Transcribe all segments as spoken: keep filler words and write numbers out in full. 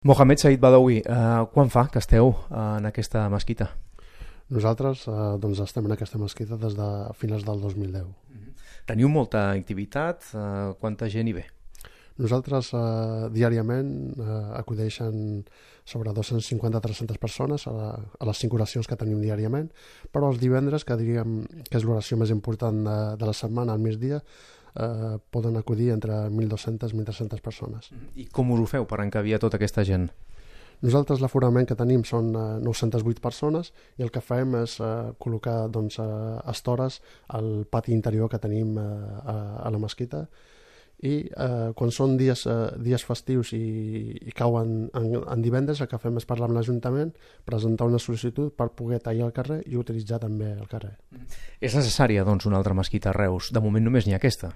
Mohamed Said Badawi, eh, quan fa que esteu en aquesta mesquita? Nosaltres eh, doncs estem en aquesta mesquita des de finals del dos mil deu. Teniu molta activitat? Eh, quanta gent hi ve? Nosaltres eh, diàriament eh, acudeixen sobre dos-cents cinquanta a tres-centes persones a, la, a les cinc oracions que tenim diàriament, però els divendres, que diríem que és l'oració més important de, de la setmana, al migdia, eh, poden acudir entre mil dues-centes i mil tres-centes persones. I com us ho feu per encabir tota aquesta gent? Nosaltres l'aforament que tenim són eh, nou-centes vuit persones i el que fem és eh, col·locar doncs, eh, estores al pati interior que tenim eh, a, a la mesquita i eh, quan són dies, eh, dies festius i, i cauen en, en divendres, el que fem és parlar amb l'Ajuntament, presentar una sol·licitud per poder tallar el carrer i utilitzar també el carrer. És necessària, doncs, una altra mesquita a Reus? De moment només n'hi ha aquesta.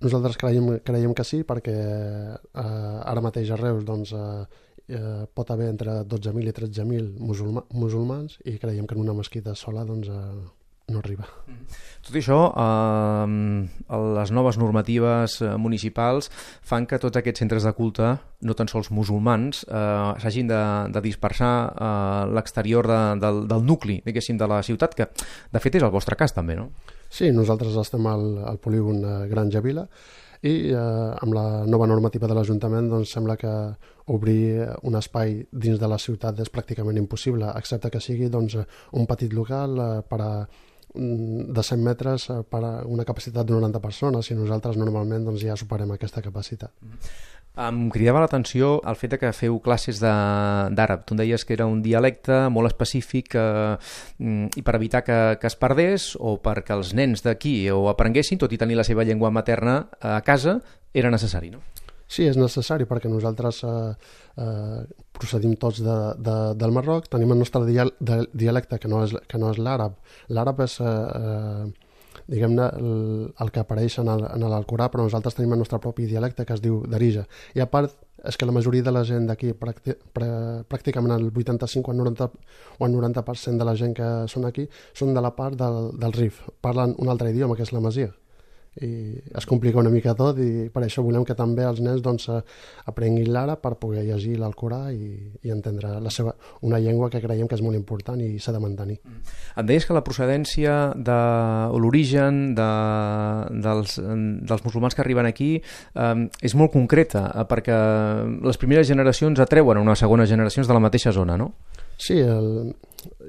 Nosaltres creiem, creiem que sí, perquè eh, ara mateix a Reus doncs, eh, eh, pot haver entre dotze mil i tretze mil musulma, musulmans i creiem que en una mesquita sola doncs, eh, no arriba. Tot això, eh, les noves normatives municipals fan que tots aquests centres de culte, no tan sols musulmans, eh, s'hagin de, de dispersar a eh, l'exterior de, del, del nucli, diguéssim, de la ciutat, que de fet és el vostre cas també, no? Sí, nosaltres estem al, al polígon Granja Vila i eh, amb la nova normativa de l'Ajuntament doncs, sembla que obrir un espai dins de la ciutat és pràcticament impossible, excepte que sigui doncs, un petit local eh, per a de cent metres per a una capacitat de noranta persones i nosaltres normalment doncs, ja superem aquesta capacitat. Em cridava l'atenció el fet que feu classes d'àrab. Tu em deies que era un dialecte molt específic eh, i per evitar que, que es perdés o perquè els nens d'aquí ho aprenguessin, tot i tenir la seva llengua materna a casa, era necessari, no? Sí, és necessari perquè nosaltres eh, eh, procedim tots de, de, del Marroc, tenim el nostre dialecte que no és, que no és l'àrab. L'àrab és eh, eh, diguem-ne el, el que apareix en l'Alcorà, però nosaltres tenim el nostre propi dialecte que es diu Darija. I a part és que la majoria de la gent d'aquí, pràcticament el vuitanta-cinc o el noranta, o el noranta per cent de la gent que són aquí, són de la part del, del Rif. Parlen un altre idioma, que és l'amazigh. I es complica una mica tot i per això volem que també els nens doncs, aprenguin l'àrab per poder llegir l'Alcorà i, i entendre la seva, una llengua que creiem que és molt important i s'ha de mantenir. Em deies que la procedència de, o l'origen de, dels, dels musulmans que arriben aquí eh, és molt concreta eh, perquè les primeres generacions atreuen a unes segones generacions de la mateixa zona, no? Sí, el,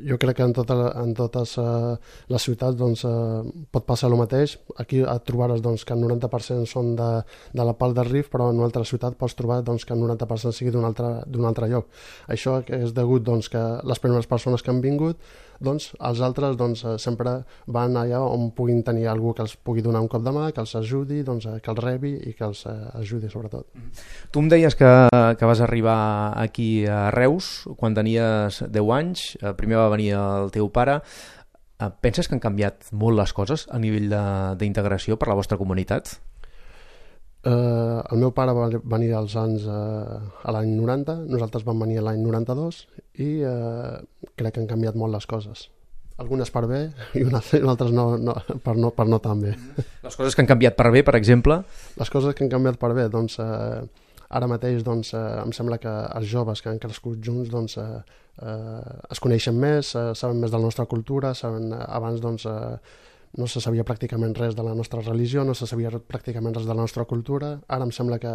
jo crec que en, tota, en totes uh, les ciutats doncs, uh, pot passar el mateix. Aquí et trobaràs doncs, que el noranta per cent són de, de la part del Rif, però en una altra ciutat pots trobar doncs, que el noranta per cent sigui d'un altre, d'un altre lloc. Això és degut doncs, que les primeres persones que han vingut, doncs, els altres doncs, sempre van allà on puguin tenir algú que els pugui donar un cop de mà, que els ajudi, doncs, que els rebi i que els ajudi sobretot. Tu em deies que, que vas arribar aquí a Reus quan tenies deu anys, primer va venir el teu pare. Penses que han canviat molt les coses a nivell d'integració per la vostra comunitat? Uh, el meu pare va venir als anys uh, a l'any noranta, nosaltres vam venir a l'any noranta-dos i uh, crec que han canviat molt les coses. Algunes per bé i unes altres no, no, per, no, per no tan bé. Les coses que han canviat per bé, per exemple? Les coses que han canviat per bé, doncs uh, ara mateix doncs, uh, em sembla que els joves que han crescut junts doncs, uh, uh, es coneixen més, uh, saben més de la nostra cultura, saben, uh, abans doncs, uh, no se sabia pràcticament res de la nostra religió, no se sabia pràcticament res de la nostra cultura. Ara em sembla que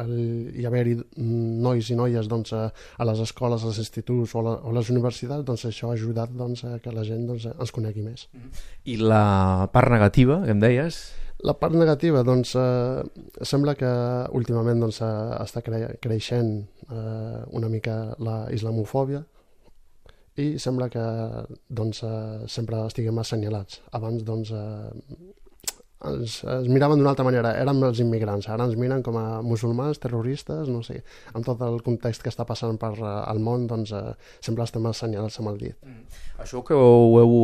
el, hi haver-hi nois i noies doncs, a, a les escoles, als instituts o a, la, o a les universitats, doncs això ha ajudat doncs, a que la gent doncs, ens conegui més. I la part negativa, que em deies? La part negativa, doncs, eh, sembla que últimament doncs, està cre creixent eh, una mica la islamofòbia, i sembla que doncs, eh, sempre estiguem assenyalats. Abans doncs, eh, ens, ens miraven d'una altra manera, érem els immigrants, ara ens miren com a musulmans, terroristes, no sé, amb tot el context que està passant per eh, el món, doncs eh, sempre estem assenyalats amb el dit. Mm. Això que ho heu,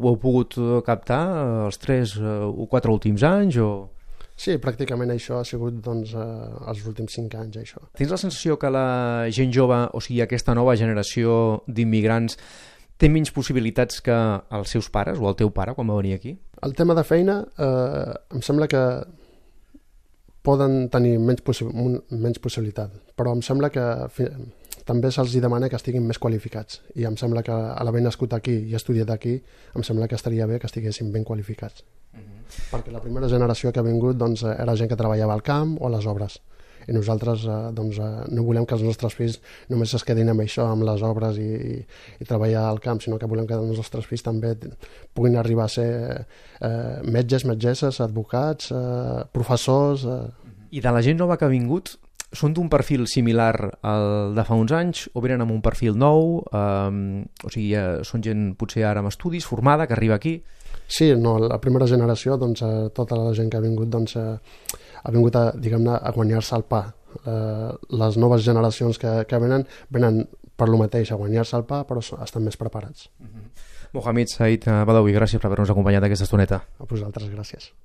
ho heu pogut captar els tres o quatre últims anys o...? Sí, pràcticament això ha sigut doncs, eh, els últims cinc anys. Això. Tens la sensació que la gent jove, o sigui, aquesta nova generació d'immigrants, té menys possibilitats que els seus pares o el teu pare quan va venir aquí? El tema de feina eh, em sembla que poden tenir menys, possi menys possibilitat, però em sembla que també se'ls demana que estiguin més qualificats, i em sembla que a l'haver nascut aquí i estudiat aquí, em sembla que estaria bé que estiguessin ben qualificats. Mm-hmm. Perquè la primera generació que ha vingut doncs, era gent que treballava al camp o a les obres, i nosaltres eh, doncs, eh, no volem que els nostres fills només es quedin amb això, amb les obres i, i, i treballar al camp, sinó que volem que els nostres fills també puguin arribar a ser eh, metges, metgesses, advocats, eh, professors... Eh. I de la gent nova que ha vingut, són d'un perfil similar al de fa uns anys o venen amb un perfil nou? Eh, o sigui, eh, són gent potser ara amb estudis, formada, que arriba aquí? Sí, no, la primera generació, doncs, eh, tota la gent que ha vingut, doncs, eh, ha vingut a, diguem-ne, a guanyar-se el pa. Eh, les noves generacions que, que venen, venen per lo mateix, a guanyar-se el pa, però estan més preparats. Mm-hmm. Mohamed Said Badawi, gràcies per haver-nos acompanyat aquesta estoneta. A vosaltres, gràcies.